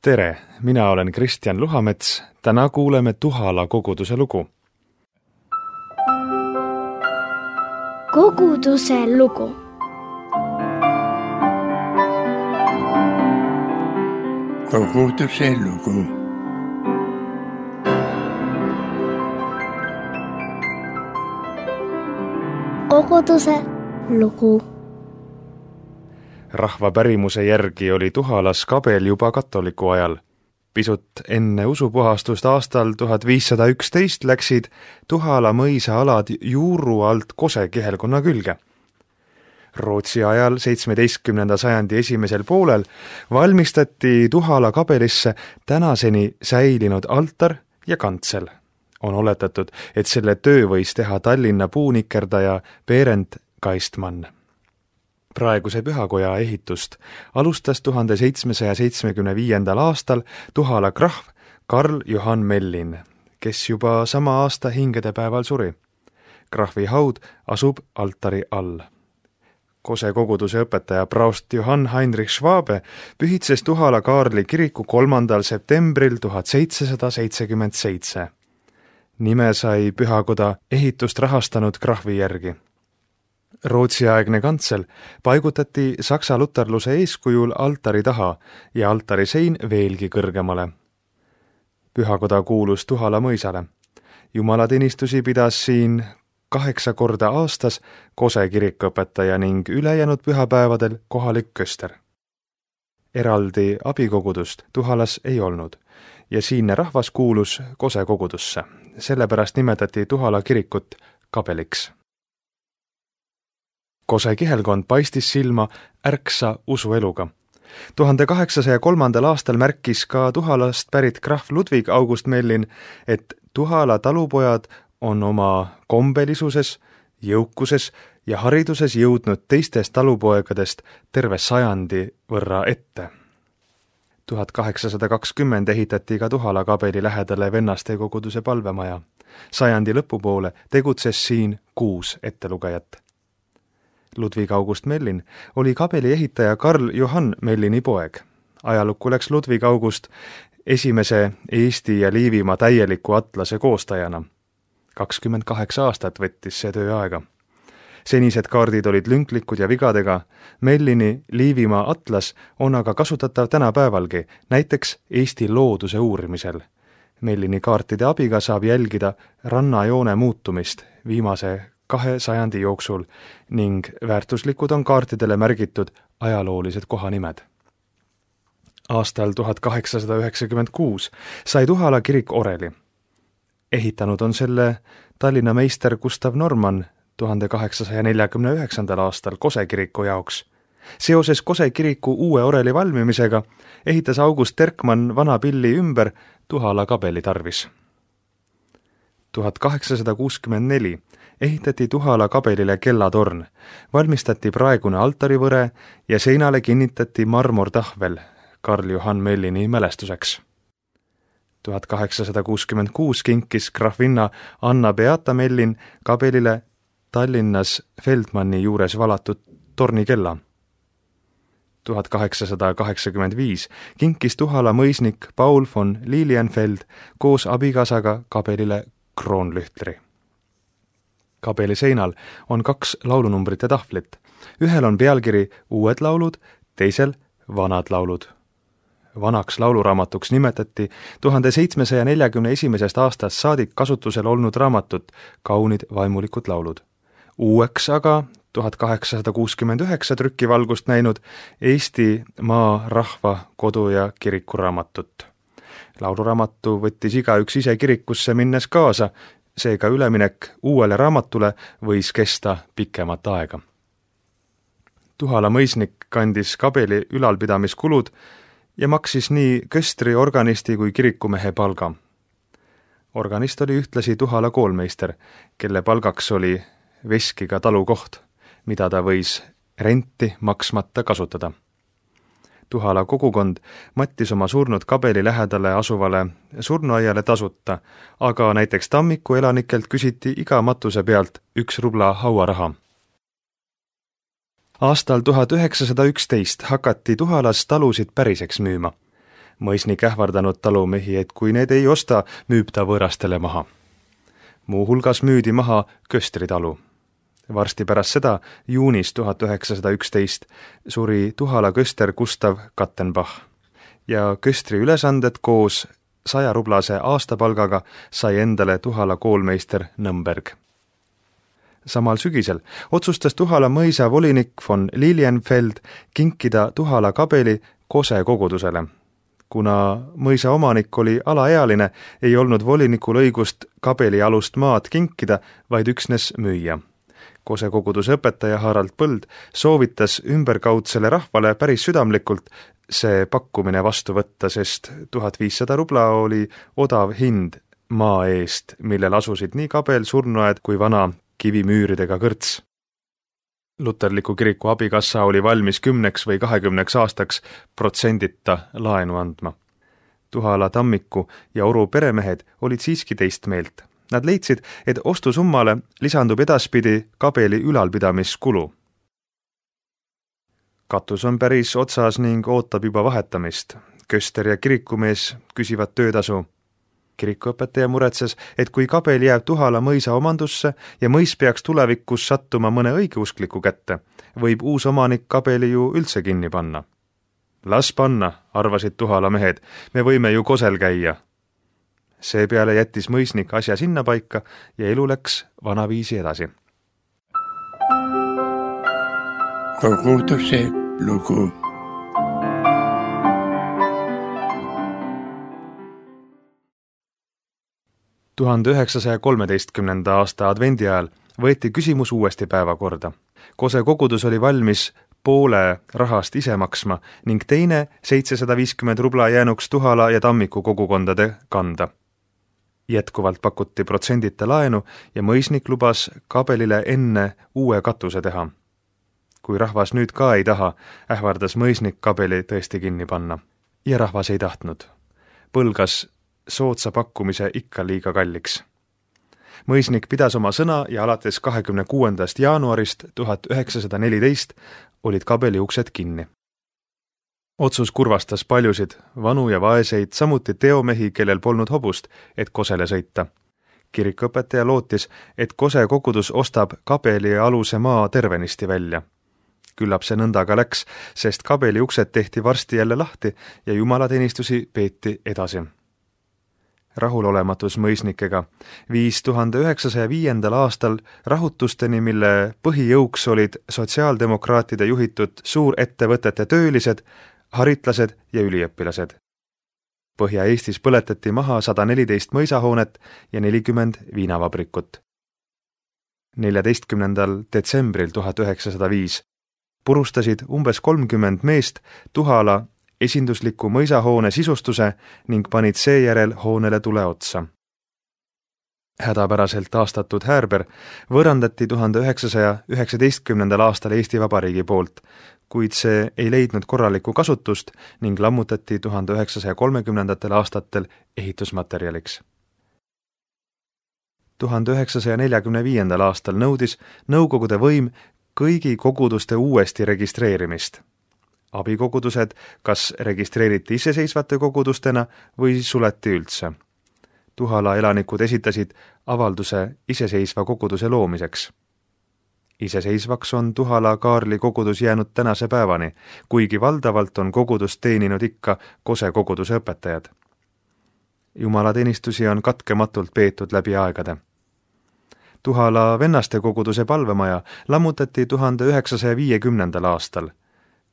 Tere, mina olen Kristjan Luhamets. Täna kuuleme Tuhala koguduse lugu. Koguduse lugu. Koguduse lugu. Koguduse lugu. Rahva pärimuse järgi oli Tuhalas kabel juba katoliku ajal. Pisut enne usupuhastust aastal 1511 läksid Tuhala mõisa alad juuru alt Kose kihelkonna külge. Rootsi ajal 17. sajandi esimesel poolel valmistati Tuhala kabelisse tänaseni säilinud altar ja kantsel. On oletatud, et selle töö võis teha Tallinna puunikerdaja Berend Kaistmann. Praeguse pühakoja ehitust alustas 1775. aastal Tuhala krahv Karl Johan Mellin, kes juba sama aasta hingedepäeval suri. Krahvi haud asub altari all. Kose koguduse õpetaja praost Johann Heinrich Schwabe pühitses Tuhala Kaarli kiriku 3. septembril 1777. Nime sai pühakoda ehitust rahastanud krahvi järgi. Rootsiaegne kantsel paigutati saksa luterluse eeskujul altari taha ja altari sein veelgi kõrgemale. Pühakoda kuulus Tuhala mõisale. Jumalateenistusi pidas siin 8 korda aastas Kose kirikuõpetaja ning ülejäänud pühapäevadel kohalik köster. Eraldi abikogudust Tuhalas ei olnud ja siinne rahvas kuulus Kose kogudusse. Sellepärast nimetati Tuhala kirikut kabeliks. Kose kihelkond paistis silma ärksa usueluga. 1803. aastal märkis ka Tuhalast pärit krahv Ludwig August Mellin, et Tuhala talupojad on oma kombelisuses, jõukuses ja hariduses jõudnud teistest talupoegadest terve 100 võrra ette. 1820 ehitati ka Tuhala kabeli lähedale vennaste koguduse palvemaja. 100 lõpupoole tegutses siin 6 ettelugejat. Ludwig August Mellin oli kabeli ehitaja Karl Johan Mellini poeg. Ajalukku läks Ludwig August esimese Eesti ja Liivimaa täieliku atlase koostajana. 28 aastat võttis see töö aega. Senised kaardid olid lünklikud ja vigadega. Mellini Liivimaa atlas on aga kasutatav tänapäevalgi, näiteks Eesti looduse uurimisel. Mellini kaartide abiga saab jälgida rannajoone muutumist viimase 2 sajandi jooksul ning väärtuslikud on kaartidele märgitud ajaloolised kohanimed. Aastal 1896 sai Tuhala kirik oreli. Ehitanud on selle Tallinna meister Gustav Norman 1849. aastal Kose kiriku jaoks. Seoses Kose kiriku uue oreli valmimisega ehitas August Terkmann vana pilli ümber Tuhala kabeli tarvis. 1864 ehitati Tuhala kabelile kellatorn, valmistati praegune altarivõre ja seinale kinnitati marmortahvel Karl Johan Mellini mälestuseks. 1866 kinkis krahvinna Anna Beata Mellin kabelile Tallinnas Feldmanni juures valatud tornikella. 1885 kinkis Tuhala mõisnik Paul von Lilienfeld koos abikaasaga kabelile kroonlühtri. Kabeli seinal on 2 laulunumbrite tahvlit. Ühel on pealkiri Uued laulud, teisel Vanad laulud. Vanaks lauluraamatuks nimetati 1741. aastast saadik kasutusel olnud raamatut Kaunid vaimulikud laulud. Uueks aga 1869 trükivalgust näinud Eesti maa, rahva, kodu ja kirikuraamatut. Lauluraamatu võttis igaüks ise kirikusse minnes kaasa, seega üleminek uuele raamatule võis kesta pikemat aega. Tuhala mõisnik kandis kabeli ülalpidamiskulud ja maksis nii köstri, organisti kui kirikumehe palga. Organist oli ühtlasi Tuhala koolmeister, kelle palgaks oli veskiga talukoht, mida ta võis renti maksmata kasutada. Tuhala kogukond mattis oma surnud kabeli lähedale asuvale surnuaiale tasuta, aga näiteks Tammiku elanikelt küsiti iga matuse pealt 1 rubla hauaraha. Aastal 1911 hakati Tuhalas talusid päriseks müüma. mõisnik ähvardanud talumehi, et kui need ei osta, müüb ta võõrastele maha. Muuhulgas müüdi maha Köstri talu. Varsti pärast seda, juunis 1911, suri Tuhala köster Gustav Kattenbach ja Köstri ülesanded koos 100-rublase aastapalgaga sai endale Tuhala koolmeister Nõmberg. Samal sügisel otsustas Tuhala mõisa volinik von Lilienfeld kinkida Tuhala kabeli Kose kogudusele. Kuna mõisa omanik oli alaealine, ei olnud volinikul õigust kabeli alust maad kinkida, vaid üksnes müüa. Kose koguduse õpetaja Harald Põld soovitas ümberkaudsele rahvale päris südamlikult see pakkumine vastu võtta, sest 1500 rubla oli odav hind maa eest, millel asusid nii kabel, surnuaed kui vana kivimüüridega kõrts. Luterliku kiriku abikassa oli valmis 10 või 20 aastaks protsendita laenu andma. Tuhala Tammiku ja Oru peremehed olid siiski teist meelt. Nad leidsid, et ostusummale lisandub edaspidi kabeli ülalpidamiskulu. Katus on päris otsas ning ootab juba vahetamist. Köster ja kirikumees küsivad töötasu. Kirikuõpetaja muretses, et kui kabel jääb Tuhala mõisa omandusse ja mõis peaks tulevikus sattuma mõne õigeuskliku kätte, võib uus omanik kabeli ju üldse kinni panna. Las panna, arvasid Tuhala mehed, me võime ju Kosel käia. Seepeale jättis mõisnik asja sinna paika ja elu läks vanaviisi edasi. Koguduse lugu. aasta advendi ajal võeti küsimus uuesti päevakorda. Kose kogudus oli valmis poole rahast ise maksma ning teine 750 rubla jäänuks Tuhala ja Tammiku kogukondade kanda. Jätkuvalt pakuti protsendita laenu ja mõisnik lubas kabelile enne uue katuse teha. Kui rahvas nüüd ka ei taha, ähvardas mõisnik kabeli tõesti kinni panna. Ja rahvas ei tahtnud. Põlgas soodsa pakkumise ikka liiga kalliks. Mõisnik pidas oma sõna ja alates 26. jaanuarist 1914 olid kabeli uksed kinni. Otsus kurvastas paljusid, vanu ja vaeseid, samuti teomehi, kellel polnud hobust, et Kosele sõita. Kirikuõpetaja lootis, et Kose kogudus ostab kabeli aluse maa tervenisti välja. Küllap see nõnda ka läks, sest kabeli uksed tehti varsti jälle lahti ja jumalateenistusi peeti edasi. Rahulolematus mõisnikega viis 1905. aastal rahutusteni, mille põhijõuks olid sotsiaaldemokraatide juhitud suurettevõtete töölised, haritlased ja üliõpilased. Põhja-Eestis põletati maha 114 mõisahoonet ja 40 viinavabrikut. 14. detsembril 1905 purustasid umbes 30 meest Tuhala esindusliku mõisahoone sisustuse ning panid seejärel hoonele tule otsa. Hädapäraselt taastatud häärber võõrandati 1919. aastal Eesti Vabariigi poolt, kuid see ei leidnud korralikku kasutust ning lammutati 1930. aastatel ehitusmaterjaliks. 1945. aastal nõudis Nõukogude võim kõigi koguduste uuesti registreerimist. Abikogudused kas registreeriti iseseisvate kogudustena või suleti üldse. Tuhala elanikud esitasid avalduse iseseisva koguduse loomiseks. Iseseisvaks on Tuhala Kaarli kogudus jäänud tänase päevani, kuigi valdavalt on kogudust teeninud ikka Kose koguduse õpetajad. Jumalateenistusi on katkematult peetud läbi aegade. Tuhala vennaste koguduse palvemaja lammutati 1950. aastal.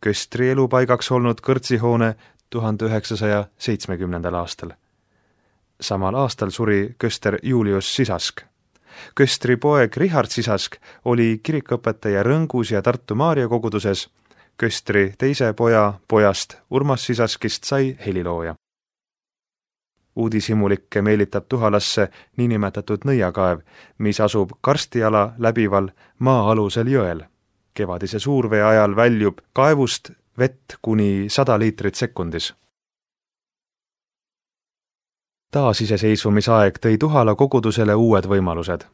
Köstri elupaigaks olnud kõrtsihoone 1970. aastal. Samal aastal suri köster Julius Sisask. Köstri poeg Richard Sisask oli kirikuõpetaja Rõngus ja Tartu Maarja koguduses. Köstri teise poja pojast Urmas Sisaskist sai helilooja. Uudishimulikke meelitab Tuhalasse niinimetatud nõiakaev, mis asub karstiala läbival maa-alusel jõel. Kevadise suurvee ajal väljub kaevust vett kuni 100 liitrit sekundis. Taasiseseisvumisaeg tõi Tuhala kogudusele uued võimalused.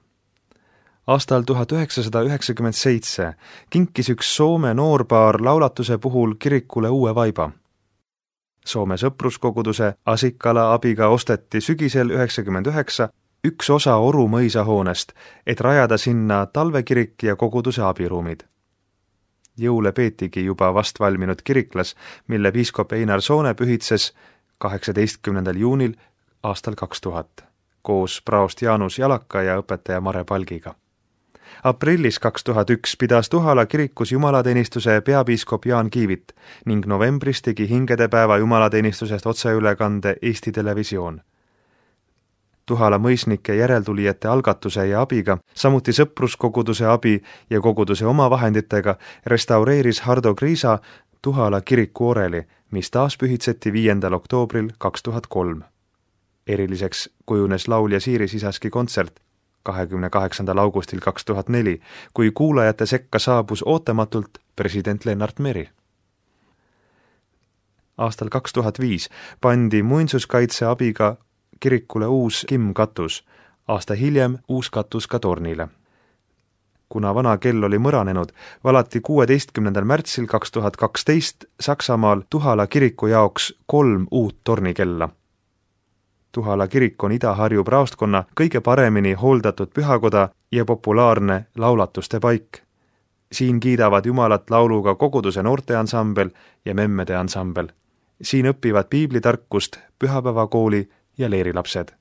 Aastal 1997 kinkis üks Soome noorpaar laulatuse puhul kirikule uue vaiba. Soome sõpruskoguduse Asikkala abiga osteti sügisel 1999 üks osa Oru mõisahoonest, et rajada sinna talvekirik ja koguduse abiruumid. Jõule peetigi juba vast valminud kiriklas, mille piiskop Einar Soone pühitses 18. juunil aastal 2000 koos praost Jaanus Jalaka ja õpetaja Mare Palgiga. Aprillis 2001 pidas Tuhala kirikus jumalateenistuse peapiiskop Jaan Kiivit ning novembris tegi hingedepäeva jumalateenistusest otseülekande Eesti Televisioon. Tuhala mõisnike järeltulijate algatuse ja abiga, samuti sõpruskoguduse abi ja koguduse oma vahenditega restaureeris Hardo Kriisa Tuhala kiriku oreli, mis taas pühitseti 5. oktoobril 2003. Eriliseks kujunes laulja Siiri Sisaski kontsert 28. augustil 2004, kui kuulajate sekka saabus ootamatult president Lennart Meri. Aastal 2005 pandi muinsuskaitse abiga kirikule uus kimmkatus, aasta hiljem uus katus ka tornile. Kuna vana kell oli mõranenud, valati 16. märtsil 2012 Saksamaal Tuhala kiriku jaoks 3 uut tornikella. Tuhala kirik on Ida-Harju praostkonna kõige paremini hooldatud pühakoda ja populaarne laulatuste paik. Siin kiidavad Jumalat lauluga koguduse noorteansambel ja memmede ansambel. Siin õpivad piiblitarkust pühapäevakooli ja leerilapsed.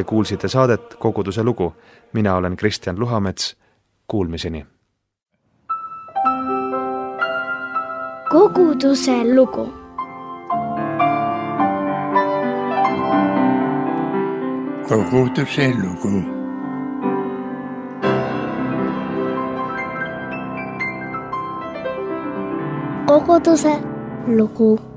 Te kuulsite saadet Koguduse lugu. Mina olen Kristjan Luhamets. Kuulmiseni. Koguduse lugu. Koguduse lugu. Koguduse lugu.